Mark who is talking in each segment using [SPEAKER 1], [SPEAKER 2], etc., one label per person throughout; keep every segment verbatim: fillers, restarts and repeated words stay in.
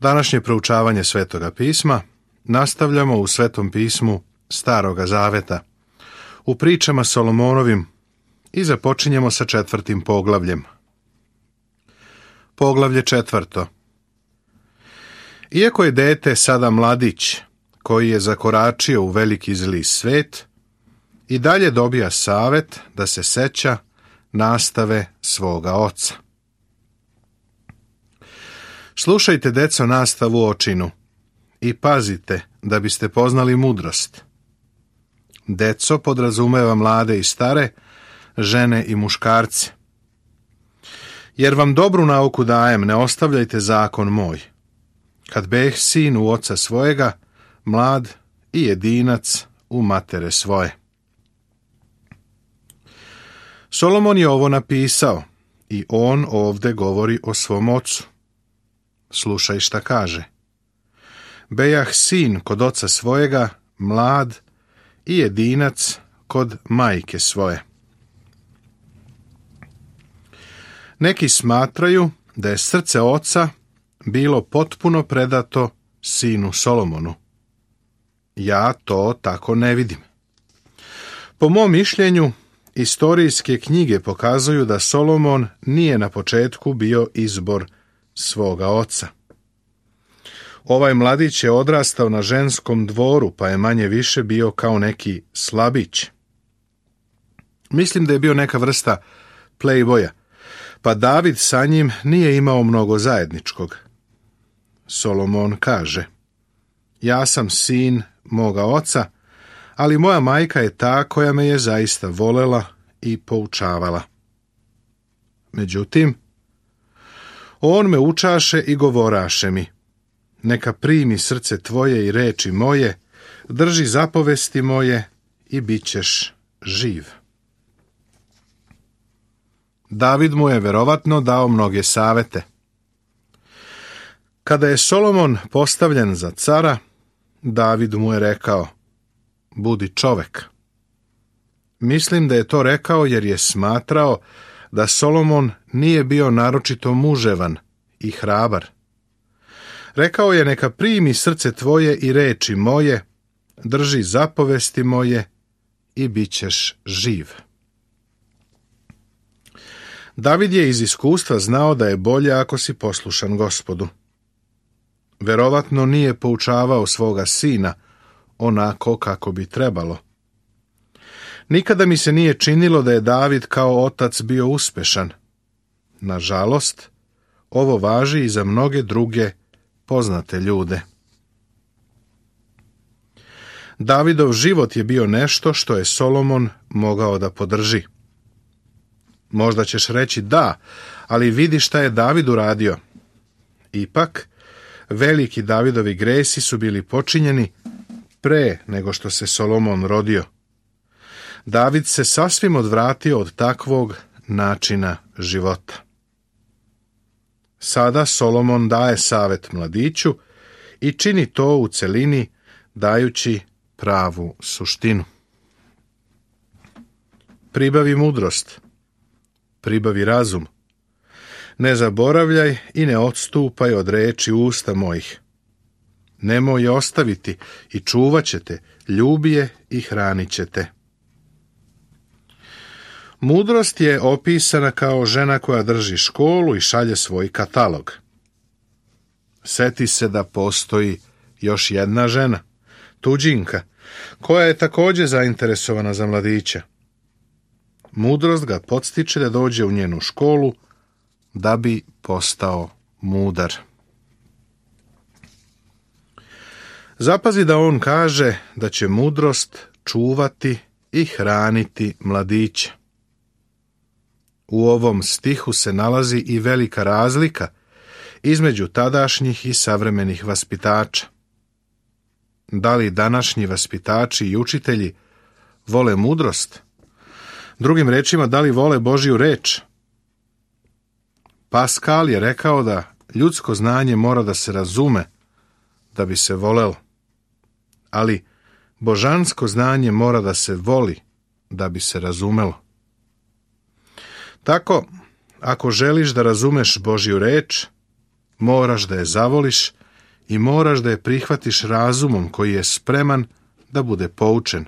[SPEAKER 1] Današnje proučavanje Svetoga pisma nastavljamo u Svetom pismu Staroga zaveta, u pričama Solomonovim, i započinjemo sa četvrtim poglavljem. Poglavlje četvrto. Iako je dete sada mladić, koji je zakoračio u veliki zli svet, i dalje dobija savet da se seća nastave svoga oca. Slušajte, deco, nastavu očinu i pazite da biste poznali mudrost. Deco podrazumeva mlade i stare, žene i muškarce. Jer vam dobru nauku dajem, ne ostavljajte zakon moj. Kad beh sin u oca svojega, mlad i jedinac u matere svoje. Solomon je ovo napisao i on ovde govori o svom ocu. Slušaj šta kaže. Bejah sin kod oca svojega, mlad i jedinac kod majke svoje. Neki smatraju da je srce oca bilo potpuno predato sinu Solomonu. Ja to tako ne vidim. Po mom mišljenju, istorijske knjige pokazuju da Solomon nije na početku bio izbor svoga oca. Ovaj mladić je odrastao na ženskom dvoru, pa je manje više bio kao neki slabić. Mislim da je bio neka vrsta playboya, pa David sa njim nije imao mnogo zajedničkog. Solomon kaže: ja sam sin moga oca, ali moja majka je ta koja me je zaista volela i poučavala. Međutim, on me učaše i govoraše mi: neka primi srce tvoje i reči moje, drži zapovesti moje i bit ćeš živ. David mu je verovatno dao mnoge savete. Kada je Solomon postavljen za cara, David mu je rekao: budi čovek. Mislim da je to rekao jer je smatrao da Solomon nije bio naročito muževan i hrabar. Rekao je: neka primi srce tvoje i reči moje, drži zapovesti moje i bit ćeš živ. David je iz iskustva znao da je bolje ako si poslušan Gospodu. Verovatno nije poučavao svoga sina onako kako bi trebalo. Nikada mi se nije činilo da je David kao otac bio uspešan. Nažalost, ovo važi i za mnoge druge poznate ljude. Davidov život je bio nešto što je Solomon mogao da podrži. Možda ćeš reći da, ali vidi šta je David uradio. Ipak, veliki Davidovi gresi su bili počinjeni pre nego što se Solomon rodio. David se sasvim odvratio od takvog načina života. Sada Solomon daje savet mladiću i čini to u celini, dajući pravu suštinu. Pribavi mudrost, pribavi razum. Ne zaboravljaj i ne odstupaj od reči usta mojih. Nemoj je ostaviti i čuvat ćete, ljubi je i hranit ćete. Mudrost je opisana kao žena koja drži školu i šalje svoj katalog. Seti se da postoji još jedna žena, tuđinka, koja je također zainteresovana za mladića. Mudrost ga podstiče da dođe u njenu školu da bi postao mudar. Zapazi da on kaže da će mudrost čuvati i hraniti mladića. U ovom stihu se nalazi i velika razlika između tadašnjih i savremenih vaspitača. Da li današnji vaspitači i učitelji vole mudrost? Drugim rečima, da li vole Božju reč? Paskal je rekao da ljudsko znanje mora da se razume da bi se volelo, ali božansko znanje mora da se voli da bi se razumelo. Tako, ako želiš da razumeš Božju reč, moraš da je zavoliš i moraš da je prihvatiš razumom koji je spreman da bude poučen.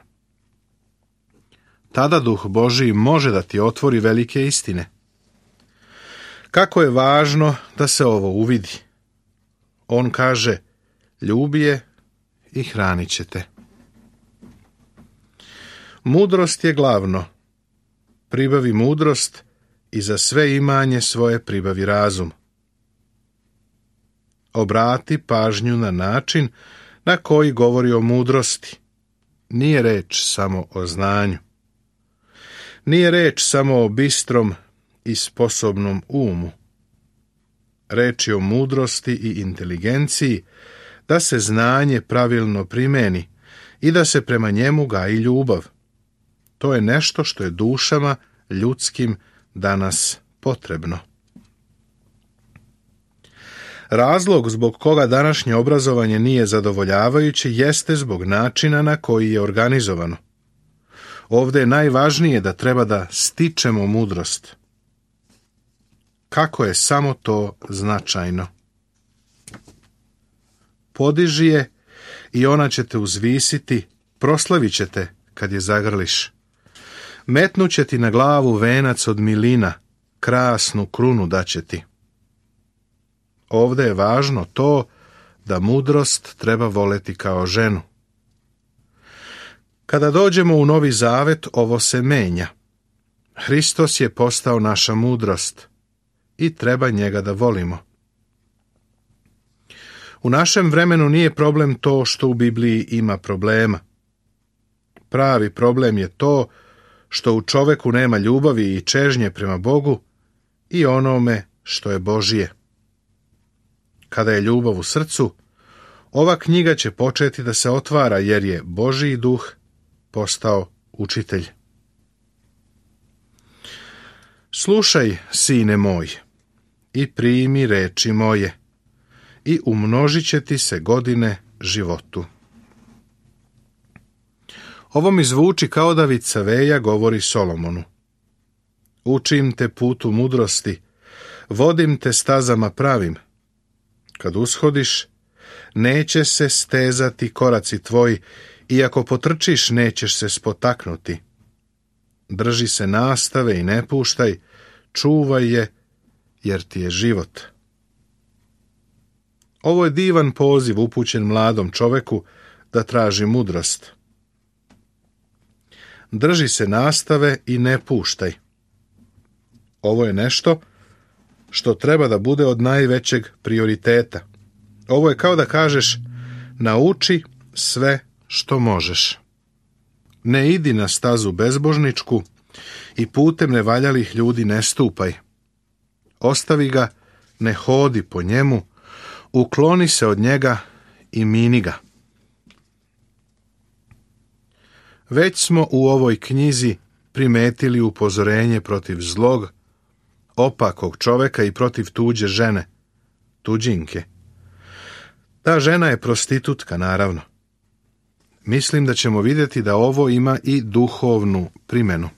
[SPEAKER 1] Tada Duh Božiji može da ti otvori velike istine. Kako je važno da se ovo uvidi. On kaže, ljubi je i hranit će te. Mudrost je glavno. Pribavi mudrost i za sve imanje svoje pribavi razum. Obrati pažnju na način na koji govori o mudrosti. Nije reč samo o znanju. Nije reč samo o bistrom i sposobnom umu. Reč je o mudrosti i inteligenciji, da se znanje pravilno primeni i da se prema njemu gaji ljubav. To je nešto što je dušama ljudskim danas potrebno. Razlog zbog koga današnje obrazovanje nije zadovoljavajuće jeste zbog načina na koji je organizovano. Ovdje je najvažnije da treba da stičemo mudrost. Kako je samo to značajno. Podiži je i ona će te uzvisiti, proslavit će te kad je zagrliš. Metnut će ti na glavu venac od milina, krasnu krunu daće ti. Ovdje je važno to da mudrost treba voleti kao ženu. Kada dođemo u Novi Zavet, ovo se menja. Hristos je postao naša mudrost i treba njega da volimo. U našem vremenu nije problem to što u Bibliji ima problema. Pravi problem je to što u čoveku nema ljubavi i čežnje prema Bogu i onome što je Božije. Kada je ljubav u srcu, ova knjiga će početi da se otvara jer je Božji duh postao učitelj. Slušaj, sine moj, i primi reči moje, i umnožit će ti se godine životu. Ovo mi zvuči kao da Vicaveja govori Solomonu. Učim te putu mudrosti, vodim te stazama pravim. Kad ushodiš, neće se stezati koraci tvoji, i ako potrčiš, nećeš se spotaknuti. Drži se nastave i ne puštaj, čuvaj je, jer ti je život. Ovo je divan poziv upućen mladom čoveku da traži mudrost. Drži se nastave i ne puštaj. Ovo je nešto što treba da bude od najvećeg prioriteta. Ovo je kao da kažeš, nauči sve što možeš. Ne idi na stazu bezbožničku i putem nevaljalih ljudi ne stupaj. Ostavi ga, ne hodi po njemu, ukloni se od njega i mini ga. Već smo u ovoj knjizi primetili upozorenje protiv zlog, opakog čoveka i protiv tuđe žene, tuđinke. Ta žena je prostitutka, naravno. Mislim da ćemo vidjeti da ovo ima i duhovnu primjenu.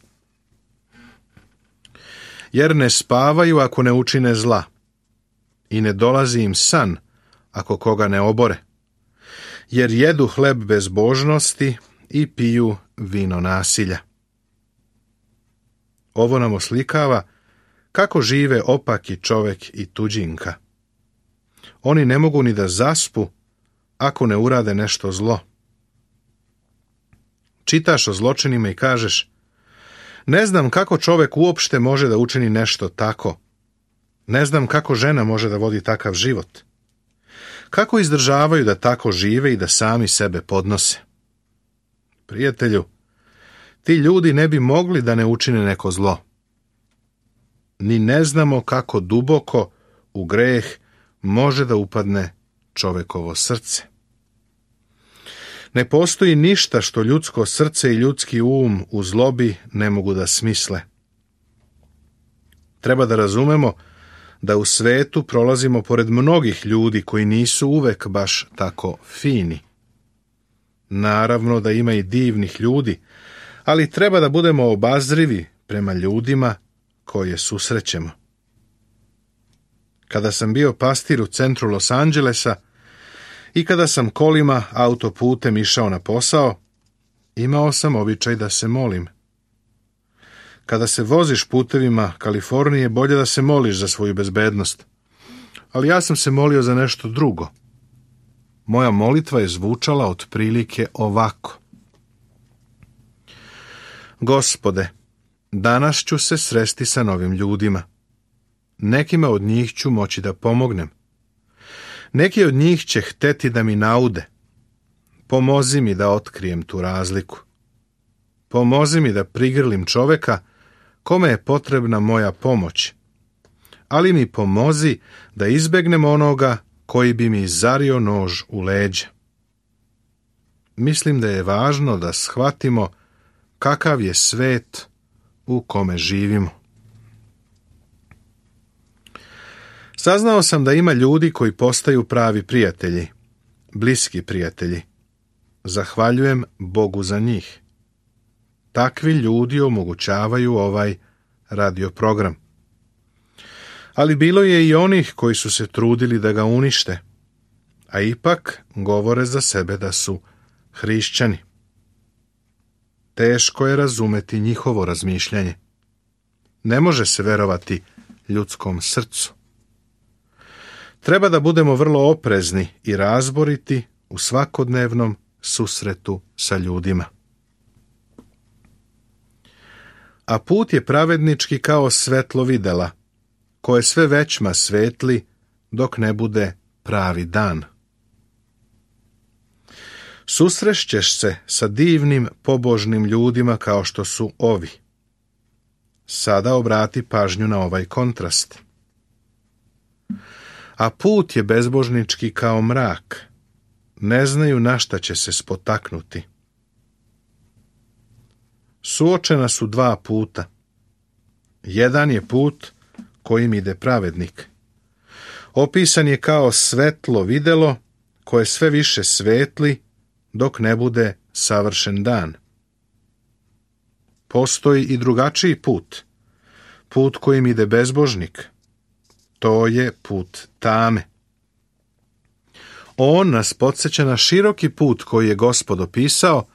[SPEAKER 1] Jer ne spavaju ako ne učine zla, i ne dolazi im san ako koga ne obore, jer jedu hleb bezbožnosti i piju vino nasilja. Ovo nam oslikava kako žive opaki čovek i tuđinka. Oni ne mogu ni da zaspu ako ne urade nešto zlo. Čitaš o zločinima i kažeš, ne znam kako čovek uopšte može da učini nešto tako. Ne znam kako žena može da vodi takav život. Kako izdržavaju da tako žive i da sami sebe podnose. Prijatelju, ti ljudi ne bi mogli da ne učine neko zlo. Ni ne znamo kako duboko u greh može da upadne čovekovo srce. Ne postoji ništa što ljudsko srce i ljudski um u zlobi ne mogu da smisle. Treba da razumemo da u svetu prolazimo pored mnogih ljudi koji nisu uvek baš tako fini. Naravno da ima i divnih ljudi, ali treba da budemo obazrivi prema ljudima koje susrećemo. Kada sam bio pastir u centru Los Angelesa, I kada sam kolima autoputem išao na posao, imao sam običaj da se molim. Kada se voziš putevima Kalifornije, bolje da se moliš za svoju bezbednost. Ali ja sam se molio za nešto drugo. Moja molitva je zvučala otprilike ovako. Gospode, danas ću se sresti sa novim ljudima. Nekima od njih ću moći da pomognem. Neki od njih će hteti da mi naude. Pomozi mi da otkrijem tu razliku. Pomozi mi da prigrlim čoveka kome je potrebna moja pomoć. Ali mi pomozi da izbegnem onoga koji bi mi zario nož u leđa. Mislim da je važno da shvatimo kakav je svet u kome živimo. Saznao sam da ima ljudi koji postaju pravi prijatelji, bliski prijatelji. Zahvaljujem Bogu za njih. Takvi ljudi omogućavaju ovaj radio program. Ali bilo je i onih koji su se trudili da ga unište, a ipak govore za sebe da su hrišćani. Teško je razumeti njihovo razmišljanje. Ne može se verovati ljudskom srcu. Treba da budemo vrlo oprezni i razboriti u svakodnevnom susretu sa ljudima. A put je pravednički kao svetlo videla, koje sve većma svetli dok ne bude pravi dan. Susrešćeš se sa divnim pobožnim ljudima kao što su ovi. Sada obrati pažnju na ovaj kontrast. A put je bezbožnički kao mrak. Ne znaju na šta će se spotaknuti. Suočena su dva puta. Jedan je put kojim ide pravednik. Opisan je kao svetlo videlo koje sve više svetli dok ne bude savršen dan. Postoji i drugačiji put. Put kojim ide bezbožnik. To je put tame. On nas podsjeća na široki put koji je Gospod opisao,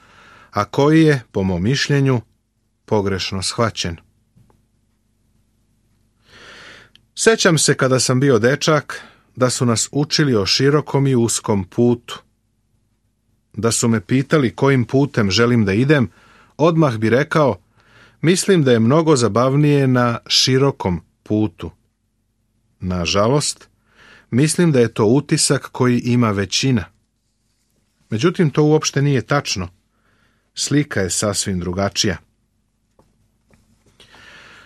[SPEAKER 1] a koji je, po mom mišljenju, pogrešno shvaćen. Sećam se kada sam bio dečak da su nas učili o širokom i uskom putu. Da su me pitali kojim putem želim da idem, odmah bi rekao, mislim da je mnogo zabavnije na širokom putu. Nažalost, mislim da je to utisak koji ima većina. Međutim, to uopšte nije tačno. Slika je sasvim drugačija.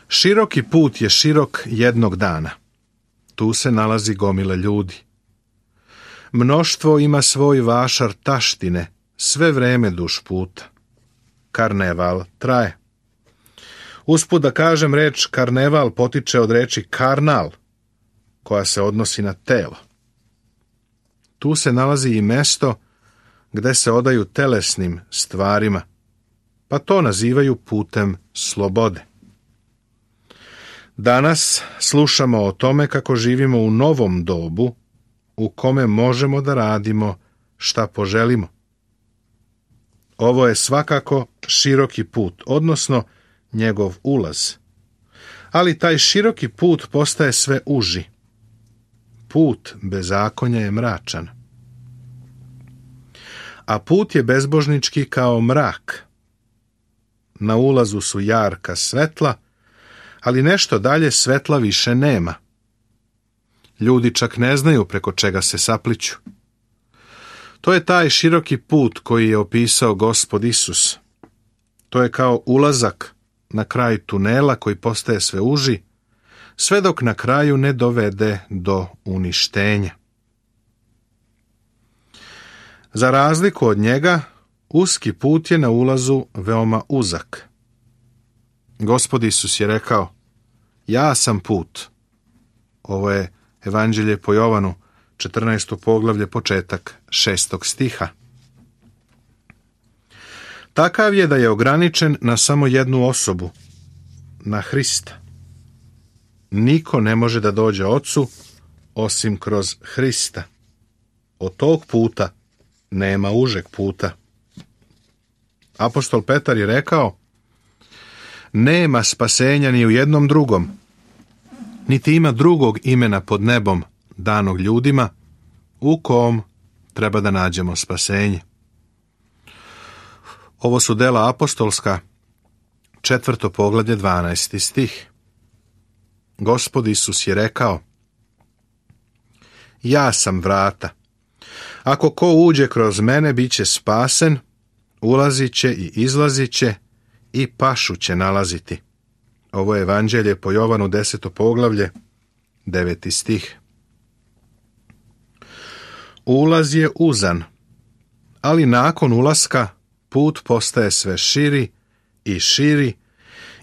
[SPEAKER 1] Široki put je širok jednog dana. Tu se nalazi gomila ljudi. Mnoštvo ima svoj vašar taštine, sve vreme duž puta. Karneval traje. Usput da kažem, reč karneval potiče od reči karnal, koja se odnosi na telo. Tu se nalazi i mesto gde se odaju telesnim stvarima, pa to nazivaju putem slobode. Danas slušamo o tome kako živimo u novom dobu u kome možemo da radimo šta poželimo. Ovo je svakako široki put, odnosno njegov ulaz. Ali taj široki put postaje sve uži. Put bezakonja je mračan. A put je bezbožnički kao mrak. Na ulazu su jarka svetla, ali nešto dalje svetla više nema. Ljudi čak ne znaju preko čega se sapliću. To je taj široki put koji je opisao Gospod Isus. To je kao ulazak na kraj tunela koji postaje sve uži, sve dok na kraju ne dovede do uništenja. Za razliku od njega, uski put je na ulazu veoma uzak. Gospod Isus je rekao, ja sam put. Ovo je Evanđelje po Jovanu, četrnaesto poglavlje, početak šestog stiha. Takav je da je ograničen na samo jednu osobu, na Hrista. Niko ne može da dođe Ocu osim kroz Hrista. Od tog puta nema užeg puta. Apostol Petar je rekao: nema spasenja ni u jednom drugom, niti ima drugog imena pod nebom danog ljudima u kom treba da nađemo spasenje. Ovo su dela apostolska, četvrto poglavlje, dvanaesti stih. Gospod Isus je rekao: ja sam vrata. Ako ko uđe kroz mene, bit će spasen, ulazit će i izlazit će i pašu će nalaziti. Ovo je evanđelje po Jovanu, deseto poglavlje, deveti stih. Ulaz je uzan, ali nakon ulaska put postaje sve širi i širi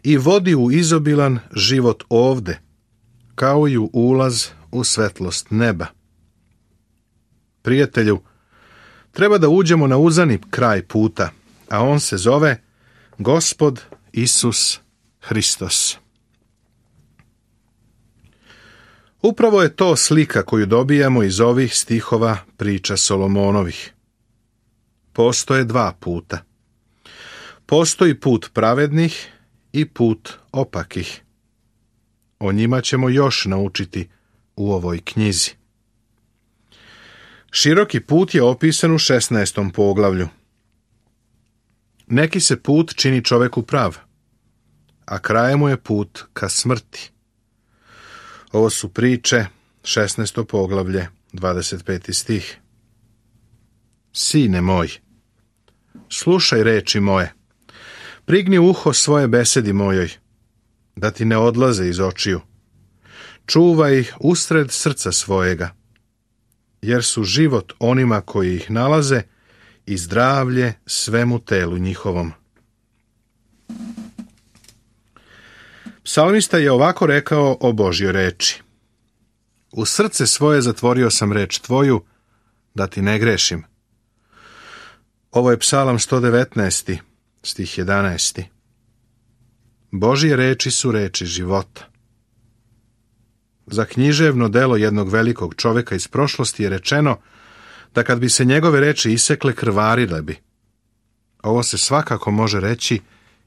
[SPEAKER 1] i vodi u izobilan život ovde, kao i u ulaz u svetlost neba. Prijatelju, treba da uđemo na uzani kraj puta, a on se zove Gospod Isus Hristos. Upravo je to slika koju dobijamo iz ovih stihova priča Solomonovih. Postoje dva puta. Postoji put pravednih i put opakih. O njima ćemo još naučiti u ovoj knjizi. Široki put je opisan u šesnaestom poglavlju. Neki se put čini čoveku prav, a kraj mu je put ka smrti. Ovo su priče, šesnaesto poglavlje, dvadeset peti stih. Sine moj, slušaj reči moje, prigni uho svoje besedi mojoj, da ti ne odlaze iz očiju. Čuvaj ih usred srca svojega, jer su život onima koji ih nalaze i zdravlje svemu telu njihovom. Psalmista je ovako rekao o Božjoj reči: u srce svoje zatvorio sam reč tvoju, da ti ne grešim. Ovo je Psalam sto devetnaesti, stih jedanaesti. Božje reči su reči života. Za književno delo jednog velikog čoveka iz prošlosti je rečeno da kad bi se njegove reči isekle, krvarile bi. Ovo se svakako može reći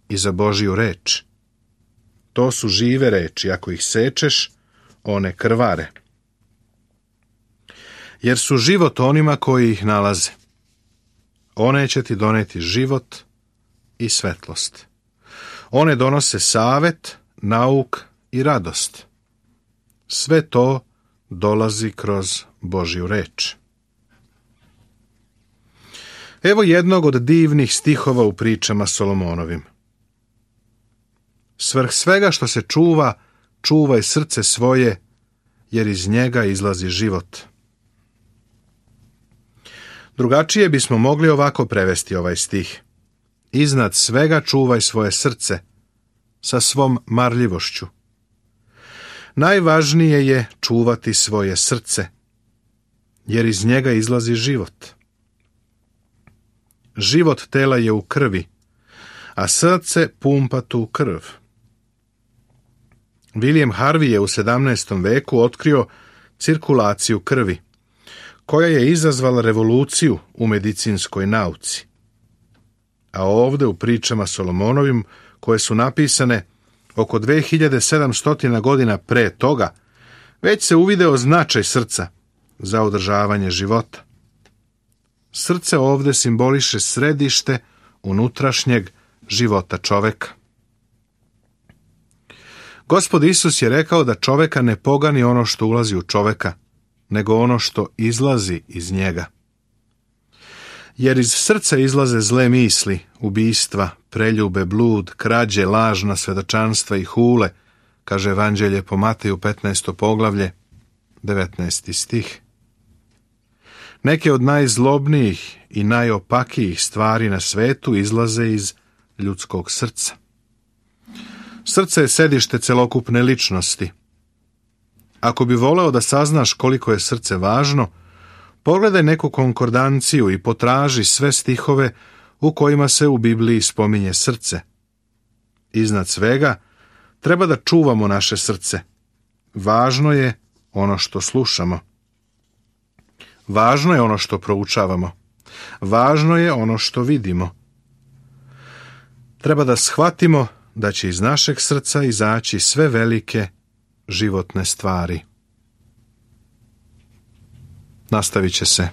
[SPEAKER 1] i za Božju reč. To su žive reči, ako ih sečeš, one krvare. Jer su život onima koji ih nalaze. One će ti doneti život i svetlost. One donose savet, nauk i radost. Sve to dolazi kroz Božju reč. Evo jednog od divnih stihova u pričama Solomonovim. Svrh svega što se čuva, čuvaj srce svoje, jer iz njega izlazi život. Drugačije bismo mogli ovako prevesti ovaj stih. Iznad svega čuvaj svoje srce, sa svom marljivošću. Najvažnije je čuvati svoje srce, jer iz njega izlazi život. Život tela je u krvi, a srce pumpa tu krv. William Harvey je u sedamnaestom veku otkrio cirkulaciju krvi, koja je izazvala revoluciju u medicinskoj nauci. A ovde u pričama Solomonovim, koje su napisane oko dve hiljade sedamsto godina pre toga, već se uvideo značaj srca za održavanje života. Srce ovde simboliše središte unutrašnjeg života čoveka. Gospod Isus je rekao da čoveka ne pogani ono što ulazi u čoveka, nego ono što izlazi iz njega. Jer iz srca izlaze zle misli, ubistva, preljube, blud, krađe, lažna svedočanstva i hule, kaže evanđelje po Mateju petnaesto poglavlje, devetnaesti stih. Neke od najzlobnijih i najopakijih stvari na svetu izlaze iz ljudskog srca. Srce je sedište celokupne ličnosti. Ako bi voleo da saznaš koliko je srce važno, pogledaj neku konkordanciju i potraži sve stihove u kojima se u Bibliji spominje srce. Iznad svega, treba da čuvamo naše srce. Važno je ono što slušamo. Važno je ono što proučavamo. Važno je ono što vidimo. Treba da shvatimo da će iz našeg srca izaći sve velike životne stvari. Nastavit će se.